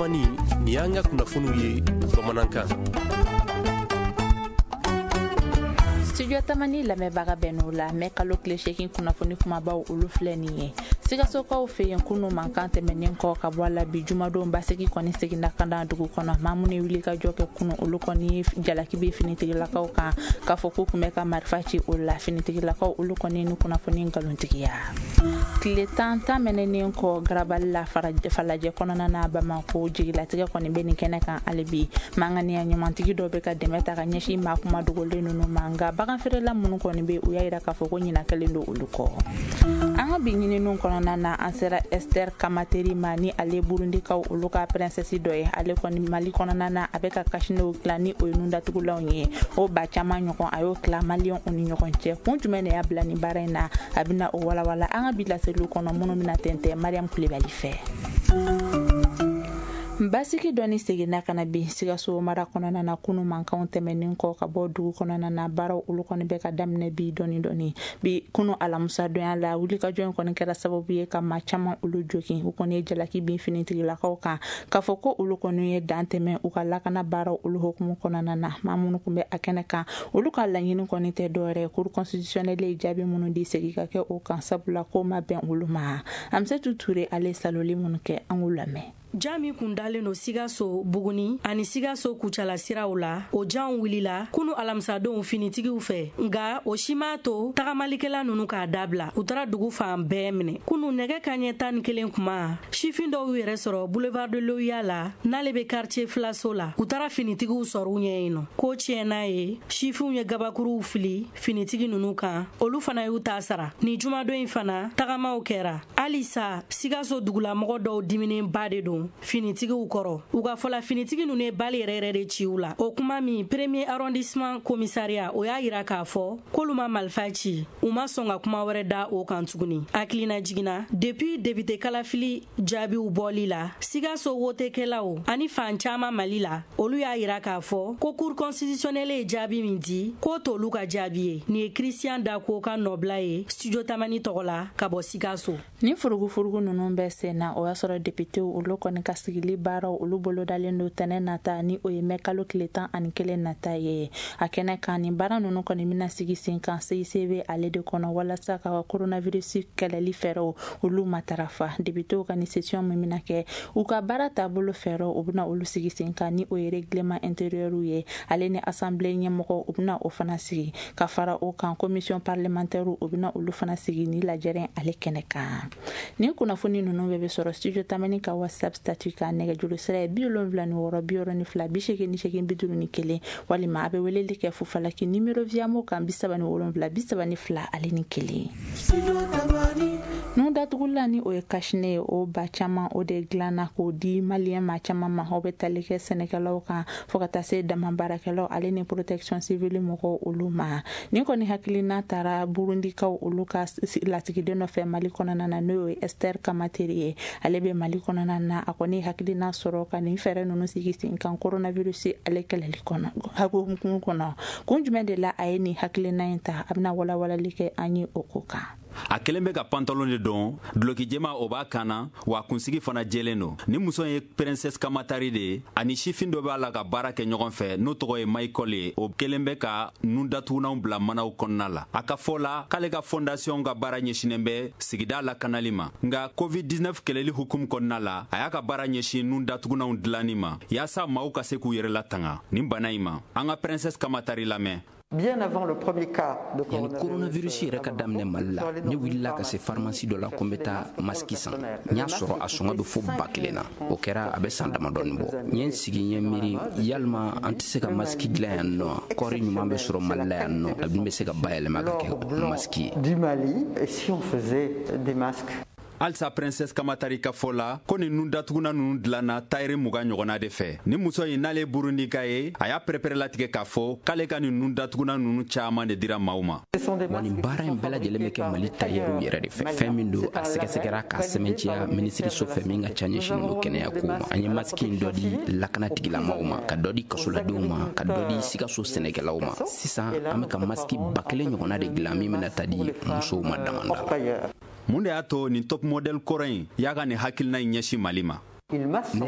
Tamani, nin y'an ka kunnafoniw ye bamanankan. Studio Tamani lamɛnbaga bɛɛ n'o la, mɛ kalo tile 8 kunnafoni kumabaw olu filɛ nin ye. Sikasokaw fɛ yen, kunu mankan tɛmɛnen kɔ ka bɔ a la, bi jumadon basigi kɔni seginna ka na dugu kɔnɔ. Maa minnu ye wuli ka jɔ kɛ kunu, olu kɔni ye jalaki bin finitigilakaw kan k'a fɔ k'u tun bɛ ka marifa ci o la. Finitigilakaw olu kɔni ni kunnafoni nkalontigiya. Tile 10 tɛmɛnen kɔ garabali la Falajɛ kɔnɔna na Bamakɔ, jigilatigɛ kɔni bɛ nin kɛnɛ kan hali bi. Manganiya ɲumantigi dɔ bɛ ka dɛmɛ ta ka ɲɛsin maa kuma dogolen ninnu ma, nka baganfeerela minnu kɔni bɛ, u y'a yira k'a fɔ ko ɲina kɛlen don olu kɔ. An ka bi ɲininiw kɔnɔna na, an sera Esther Kamateri ma, ni ale Burundikaw olu ka princesse dɔ ye. Ale kɔni Mali kɔnɔna na, a bɛ ka cache-nez dilan, ni o ye nundatugulanw ye, o ba caman ɲɔgɔn a y'o tila maliyɛnw ni ɲɔgɔn cɛ. Kun jumɛn de y'a bila nin baara in na? A bɛna o walawala an ka bi laseliw kɔnɔ minnu bɛna tɛntɛn Mariam Kulibali fɛ. Basigi dɔɔni seginna ka na bi Sikaso mara kɔnɔna na, kunu mankanw tɛmɛnen kɔ ka bɔ dugu kɔnɔna na. Baaraw olu kɔni bɛ ka daminɛ bi dɔɔni dɔɔni. Bi kunu alamisa donya la, wulikajɔ in kɔni kɛra sababu ye ka maa caman olu jogin. U kɔni ye jalaki bin finitigilakaw kan k'a fɔ ko olu kɔni ye dan tɛmɛ u ka lakana baaraw olu hukumu kɔnɔna na. Maa minnu tun bɛ a kɛnɛ kan, olu ka laɲini kɔni tɛ dɔwɛrɛ, cour constitutionnelle ye jaabi minnu di, segin ka kɛ o kan, sabula ko ma bɛn olu ma. Amsetu Ture, ale saloli minnu kɛ, an k'u lamɛn. Ja min kun dalen don Sikaso Buguni ani Sikaso Kucala siraw la, o janw wulila kunu alamisadonw finitigiw fɛ, nka o si m'a to tagamalikɛla ninnu k'a dabila. U taara dugu fan bɛɛ minɛ kunu nɛgɛ kaɲɛ 11 kuma. Sifin dɔw y'u yɛrɛ sɔrɔ boulevard de l'OUA la, n'ale bɛ quartier filaso la. U taara finitigiw sɔrɔ u ɲɛ yen nɔ. Ko tiɲɛna ye, sifinw ye gabakuruw fili finitigi ninnu kan, olu fana y'u ta sara. Ni jumadon in fana, tagamaw kɛra halisa. Sikaso dugulamɔgɔ dɔw diminenba de don finitigiw kɔrɔ. U ka fɔla, finitigi ninnu ye bali yɛrɛ yɛrɛ de ci u la. O kuma min, premier arrondissement commissariat, o y'a yira k'a fɔ k'olu ma marifa ci. U ma sɔn ka kuma wɛrɛ da o kan tuguni. Hakilina jiginna, depuis député kalafili jaabiw bɔli la, Sikaso wotekɛlaw ani fan caman Mali la, olu y'a yira k'a fɔ ko cour constitutionnelle ye jaabi min di, k'o t'olu ka jaabi ye. Nin ye Christian Dako ka nɔbila ye Studio Tamani tɔgɔ la ka bɔ Sikaso. Ni furugufurugu ninnu bɛ sen na, o y'a sɔrɔ députéw olu kɔni ka sigili baaraw olu bolodalen don tɛnɛ nata, ni o ye mɛ kalo tile 11 nata ye. A kɛnɛ kan, nin baara ninnu kɔni bɛna sigi sen kan CICB ale de kɔnɔ, walasa ka coronavirus kɛlɛli fɛɛrɛw olu matarafa. Députéw ka nin session min bɛna kɛ, u ka baara taabolo fɛɛrɛw, u bɛna olu sigi sen kan, ni o ye règlement intérieur ye. Ale ni assemblée ɲɛmɔgɔ, u bɛna o fana sigi. Ka fara o kan, commission parlementaire, u bɛna olu fana sigi ni lajɛrɛ ale kɛnɛ kan. Nin kunnafoni ninnu bɛɛ bɛ sɔrɔ Studio Tamani ka WhatsApp statut kan. Nɛgɛjuru sira ye 76 62 88 51, walima a bɛ weleli kɛ fufalaki numéro Viamo kan, 37 32 ale ni 1. Nun datugula, ni o ye cache-nez ye, o ba caman o de dilanna k'o di maliyɛn maa caman ma. O bɛ tali kɛ sɛnɛkɛlaw kan fo ka taa se dama baarakɛlaw ale ni protection civile mɔgɔw olu ma. Nin kɔni hakilina taara Burundikaw olu ka lasigiden nɔfɛ Mali kɔnɔna na, n'o ye Esther Kamateri ye. Ale bɛ Mali kɔnɔna na. A kɔni hakilina sɔrɔ ka nin fɛɛrɛ ninnu sigi sen kan coronavirus ale kɛlɛli kɔnɔ hukumu kɔnɔ. Kun jumɛn de la a ye nin hakilina in ta? A bɛna walawalali kɛ an ye o ko kan. A kelen bɛ ka pantalon de don, duloki jɛma o b'a kan na, wa kunsigi fana jɛlen don. Ni muso ye Princesse Kamatari de ye. Ani sifin dɔ b'a la ka baara kɛ ɲɔgɔn fɛ, n'o tɔgɔ ye Michael ye. O kelen bɛ ka nun datugunanw bila manaw kɔnɔna la. A ka fɔ la, k'ale ka fondation ka baara ɲɛsinnen bɛ sigida lakanali ma, nka COVID-19 kɛlɛli hukumu kɔnɔna la, a y'a ka baara ɲɛsin nun datugunanw dilanni ma, yaasa maaw ka se k'u yɛrɛ latanga nin bana in ma. An ka Princesse Kamatari lamɛn. Bien avant le premier cas de Yanni coronavirus yɛrɛ ka daminɛ Mali la, ne wulila ka se pharmacie dɔ la ko n bɛ taa masque san. N y'a sɔrɔ a sɔngɔ bɛ fo 1000 na. O kɛra a bɛ san damadɔni bɔ. N ye n sigi, n ye miiri, yalima an tɛ se ka masque dilan yan nɔ? Kɔɔri ɲuman bɛ sɔrɔ Mali la yan nɔ, a dun bɛ se ka bayɛlɛma ka kɛ masque ye. Du Mali, et si on faisait des masques? Halisa Princesse Kamatari ka fɔ la, ko nin nun datuguna ninnu dilanna tayɛri 20 ɲɔgɔnna de fɛ. Ni muso in, n'ale Burundika ye, a y'a pɛrɛpɛrɛlatigɛ k'a fɔ k'ale ka nin nun datuguna ninnu caaman de dira maaw ma. Wa nin baara in bɛɛ lajɛlen bɛ kɛ Mali tayɛriw yɛrɛ de fɛ. Fɛn min don, a sɛgɛsɛgɛra k'a sɛmɛntiya minisiriso fɛ min ka ca ɲɛsinnen don kɛnɛya kow ma. An ye masque in dɔ di lakana tigilamaw ma, ka dɔ di kasoladenw ma, ka dɔ di Sikaso sɛnɛkɛlaw ma. Sisan an bɛ ka masque 1000 ɲɔgɔnna de dilan min bɛna taa di musow ma damanda la. Mun de y'a to nin top modèle kɔrɔ in y'a ka nin hakilina in ɲɛsin Mali ma? Ne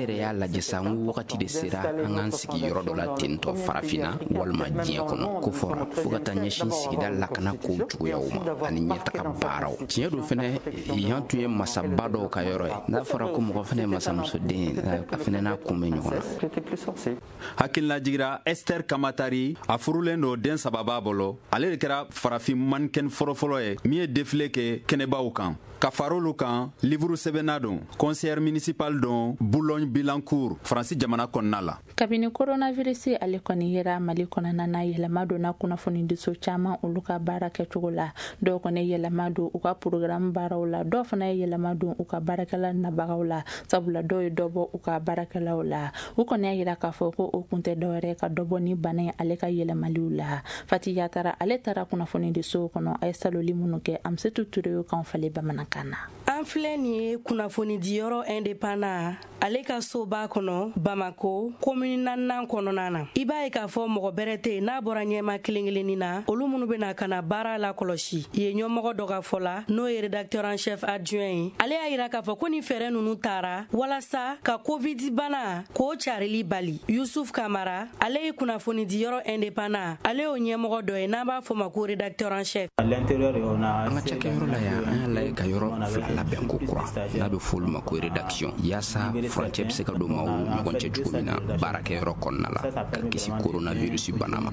yɛrɛ y'a lajɛ sa, n ko wagati de sera an k'an sigi yɔrɔ dɔ la tentɔ, Farafinna walima diɲɛ kɔnɔ, ko fɔra fo ka taa ɲɛsin sigida lakana kow cogoyaw ma ani ɲɛtaga baaraw. Tiɲɛ don fɛnɛ, yan tun ye masaba dɔw ka yɔrɔ ye. N'a fɔra ko mɔgɔ fɛnɛ ye masamusoden, a fɛnɛ n'a kun bɛ ɲɔgɔn na. Hakililajigira, Esther Kamatari, a furulen don, den saba b'a bolo. Ale de kɛra farafin mannequin fɔlɔfɔlɔ ye min ye défilé kɛ kɛnɛbaw kan. Ka far'olu kan, livre sɛbɛnna don, conseillère municipal don Boulogne Billancourt, Faransi jamana kɔnɔna la. Kabini coronavirus ale kɔni yera Mali kɔnɔna na, yɛlɛma donna kunnafonidiso caman olu ka baara kɛcogo la. Dɔw kɔni yɛlɛma don u ka programme baaraw la, dɔw fana ye yɛlɛma don u ka baarakɛla nabagaw la, sabula dɔw ye dɔ bɔ u ka baarakɛlaw la. U kɔni y'a yira k'a fɔ ko o kun tɛ dɔwɛrɛ ka dɔ bɔ ni bana in ale ka yɛlɛmaliw la. Fati Yatara ale taara kunnafonidisow kɔnɔ, a ye saloli minnu kɛ, Amsetu Ture y'o kan falen bamanankan na. An filɛ nin ye kunnafonidiyɔrɔ Indépendant ale ka soba kɔnɔ, Bamako commune naaninan kɔnɔna na. I b'a ye k'a fɔ mɔgɔ bɛrɛ tɛ yen n'a bɔra ɲɛma kelen kelennin na, olu minnu bɛna ka na baara la kɔlɔsi yen. Ɲɛmɔgɔ dɔ ka fɔ la, n'o ye rédacteur en chef adjoint ye, ale y'a yira k'a fɔ ko nin fɛɛrɛ ninnu taara walasa ka Covid bana k'o carili bali. Yusuf Kamara, ale ye kunnafonidiyɔrɔ Indépendant ale y'o ɲɛmɔgɔ dɔ ye n'an b'a fɔ ma ko rédacteur en chef. An ka cakɛyɔrɔ la yan, an y'a lajɛ ka yɔrɔ fila labɛn ko kura n'a bɛ fɔ olu ma ko rédaction, yaasa furancɛ bɛ se ka don maaw ɲɔgɔn cɛ cogo min na baarakɛyɔrɔ kɔnɔna la, ka kisi coronavirus bana ma.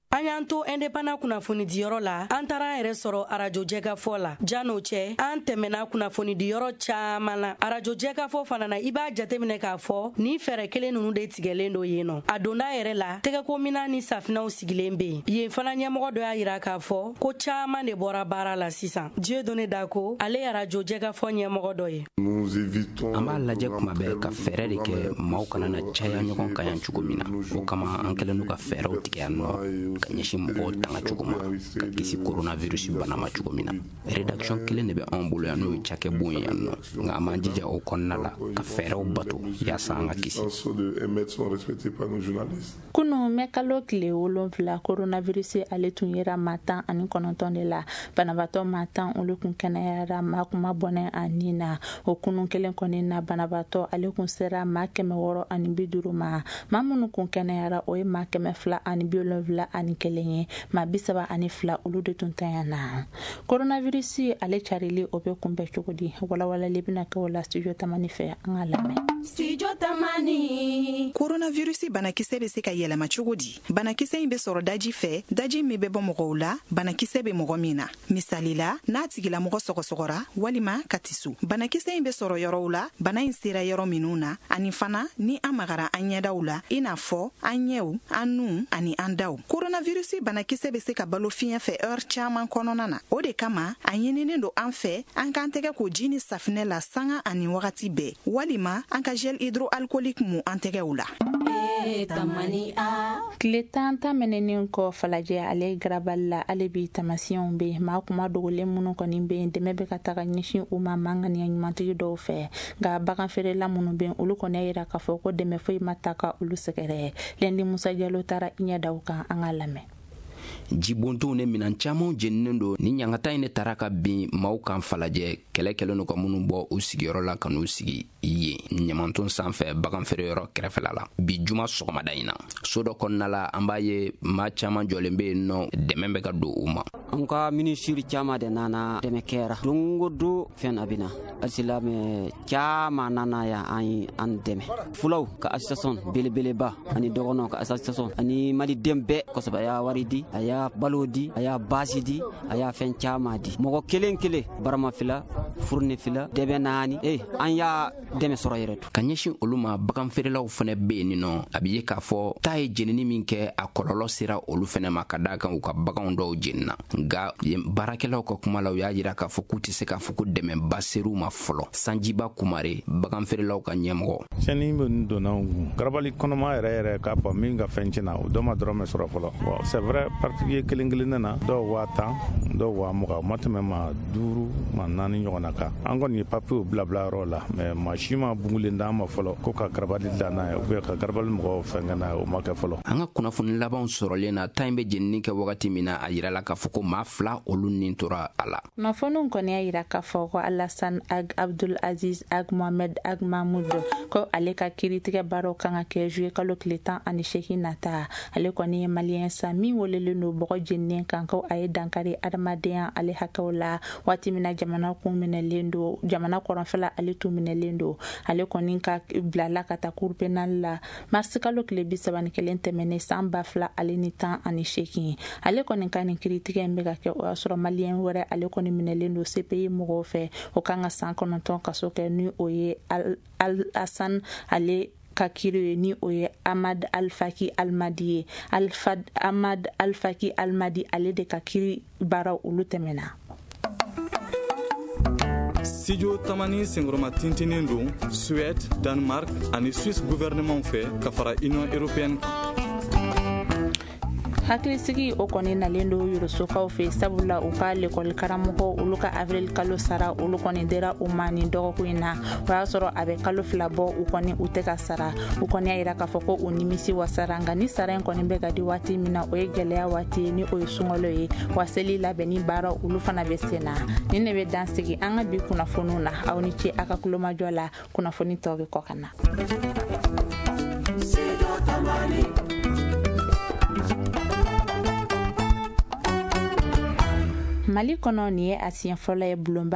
An y'an to Indépendant kunnafonidiyɔrɔ la, an taara an yɛrɛ sɔrɔ arajo Jɛkafɔ la. Jan'o cɛ, an tɛmɛna kunnafonidiyɔrɔ caman na. Arajo Jɛkafɔ fana na, i b'a jateminɛ k'a fɔ nin fɛɛrɛ kelen ninnu de tigɛlen don yen nɔ. A donda yɛrɛ la, tɛgɛkominan ni safinɛw sigilen bɛ yen. Yen fana ɲɛmɔgɔ dɔ y'a yira k'a fɔ ko caman de bɔra baara la sisan. Dieudonné Dako, ale ye arajo Jɛkafɔ ɲɛmɔgɔ dɔ ye. An b'a lajɛ kuma bɛɛ ka fɛɛrɛ de kɛ maaw kana na caya ɲɔgɔn kan yan cogo min na. O kama, an kɛlen don ka fɛɛrɛw tigɛ yan nɔ ka ɲɛsin mɔgɔw tanga cogo ma, ka kisi coronavirus bana ma cogo min na. Rédaction kelen de bɛ anw bolo yan, n'o ye cakɛbon ye yan nɔ, nka an b'an jija o kɔnɔna la ka fɛɛrɛw bato yaasa an ka kisi. Kunu mɛ kalo tile 7, coronavirus ale tun yera maa 19 de la. Banabaatɔ maa 10 olu kun kɛnɛyara, maa kuma bɔnɛ a nin na. O kunun kelen kɔni na, banabaatɔ ale kun sera maa 650 ma. Maa minnu kun kɛnɛyara, o ye maa 271 ye. Maa 32 olu de tun tanya na. Coronavirus ale carili, o bɛ kunbɛn cogo di? Walawalali bɛna kɛ o la Studio Tamani fɛ, an ka lamɛn. Studio Tamani. Coronavirus banakisɛ bɛ se ka yɛlɛma cogo di? Banakisɛ in bɛ sɔrɔ daji fɛ, daji min bɛ bɔ mɔgɔw la banakisɛ bɛ mɔgɔ min na, misali la, n'a tigilamɔgɔ sɔgɔsɔgɔra walima ka tisu. Banakisɛ in bɛ sɔrɔ yɔrɔw la bana in sera yɔrɔ minnu na, ani fana ni an magara an ɲɛdaw la, i n'a fɔ an ɲɛw, an nun ani an daw. Coronavirus banakisɛ bɛ se ka balo fiɲɛ fɛ heure caman kɔnɔna na. O de kama, a ɲininen don an fɛ an k'an tɛgɛ ko ji ni safinɛ la sanga ani wagati bɛɛ, walima an ka gel hydroalcoolique mu an tɛgɛw la. Tile 10 tɛmɛnen kɔ Falajɛ ale garabali la, ale bi tamasiyɛnw bɛ yen. Maa kuma dogolen minnu kɔni bɛ yen, dɛmɛ bɛ ka taga ɲɛsin u ma maa ŋaniya ɲumantigi dɔw fɛ. Nka bagan feerela minnu bɛ yen, olu kɔni y'a yira k'a fɔ ko dɛmɛ foyi ma ta ka olu sɛgɛrɛ. Lɛndi Musa Jalo taara i ɲɛ da u kan, an ka lamɛn. Jibontonw ni minan camanw jeninen don. Ni ɲangata in ne taara ka bin maaw kan Falajɛ, kɛlɛ kɛlen don ka minnu bɔ u sigiyɔrɔ la ka n'u sigi yen ɲamanton sanfɛ bagan feereyɔrɔ kɛrɛfɛla la. Bi juma sɔgɔmada in na, so dɔ kɔnɔna la, an b'a ye maa caman jɔlen bɛ yen nɔ, dɛmɛ bɛ ka don u ma. An ka minisiri caman de nana, dɛmɛ kɛra don o don, fɛn a bɛ na, alisilamɛ caman nana yan, an an dɛmɛ. Fulaw ka association belebeleba ani dɔgɔnɔw ka association ani maliden bɛɛ kosɛbɛ, a y'a wari di, a y'a balo di, a y'a basi di, a y'a fɛn caman di. Mɔgɔ kelen kelen, barama fila, furuni fila, dɛbɛ naani, an y'a dɛmɛ sɔrɔ yɛrɛ. Ka ɲɛsin olu ma, bagan feerelaw fɛnɛ bɛ yen nɔ. A bɛ ye k'a fɔ taa ye jenini min kɛ, a kɔlɔlɔ sera olu fɛnɛ ma, ka d'a kan u ka baganw dɔw jenina. Nka baarakɛlaw ka kuma la, u y'a yira k'a fɔ k'u tɛ se k'a fɔ ko dɛmɛba ser'u ma fɔlɔ. Sanjiba Kumare, bagan feerelaw ka ɲɛmɔgɔ. Tiɲɛni bɛ donna anw kun garabali kɔnɔma yɛrɛ yɛrɛ, k'a fɔ min ka fɛn tiɲɛna, o dɔ ma dɔrɔmɛ sɔrɔ fɔlɔ. Bon, c'est vrai, particulier kelen kelen nana, dɔw 10 000, dɔw 20 000, o ma tɛmɛ ma duuru ma naani ɲɔgɔn na kan. An kɔni ye papiyew bila bila yɔrɔ la, mais maa si ma bungulen d'an ma fɔlɔ ko ka garabali dilan n'a ye ou bien ka garabali mɔgɔw fɛn kɛ n'a ye, o ma kɛ fɔlɔ. An ka kunnafoni labanw sɔrɔlen na, ta in bɛ jenini kɛ wagati min na, a yirala k'a fɔ ko maa 2 olu nin tora a la. Kunnafoniw kɔni y'a yira k'a fɔ ko Alassane Ag Abdul Aziz Ag Mohamed Ag Mahmoud ko ale ka kiiritigɛ baaraw kan ka kɛ juillet kalo tile 18 nata. Ale kɔni ye maliyɛn sa min welelen don bɔgɔ jeninen kan ko a ye dankari adamadenya ale hakɛw la waati min na jamana kun minɛlen don, jamana kɔrɔnfɛla ale tun minɛlen don. Ale kɔni ka bilala ka taa cour pénale la mars kalo tile 31 tɛmɛnen san 2018. Ale kɔni ka nin kiiritigɛ in bɛ ka kɛ o y'a sɔrɔ maliyɛn wɛrɛ ale kɔni minɛlen don CPI mɔgɔw fɛ, o kan ka san 9 kaso kɛ ni o ye Al-Hassan ale ka kiiri ye, ni o ye Ahmad Al-Faki Almadi ye. Ahmad Al-Faki Almadi ale de ka kiiri baaraw olu tɛmɛna. Studio Tamani senkɔrɔma tintinin don Suède, Danemark ani Suisse gouvernement fɛ ka fara Union européenne kan. Hakilisigi o kɔni nalen don yorosokaw fɛ, sabula u ka lekɔli karamɔgɔ olu ka avril kalo sara olu kɔni dira u ma nin dɔgɔkun in na. O y'a sɔrɔ a bɛ kalo 2 bɔ u kɔni u tɛ ka sara. U kɔni y'a yira k'a fɔ ko u nimisi wasara, nka ni sara in kɔni bɛ ka di waati min na, o ye gɛlɛya waati ye, ni o ye sunkalo ye, wa seli labɛnni baara olu fana bɛ sen na. Nin de bɛ dan sigi an ka bi kunnafoniw na. Aw ni ce a ka kulomajɔ la, kunnafoni tɔw bɛ kɔ ka na. Mali kɔnɔ, nin ye a siɲɛ fɔlɔ ye bulonba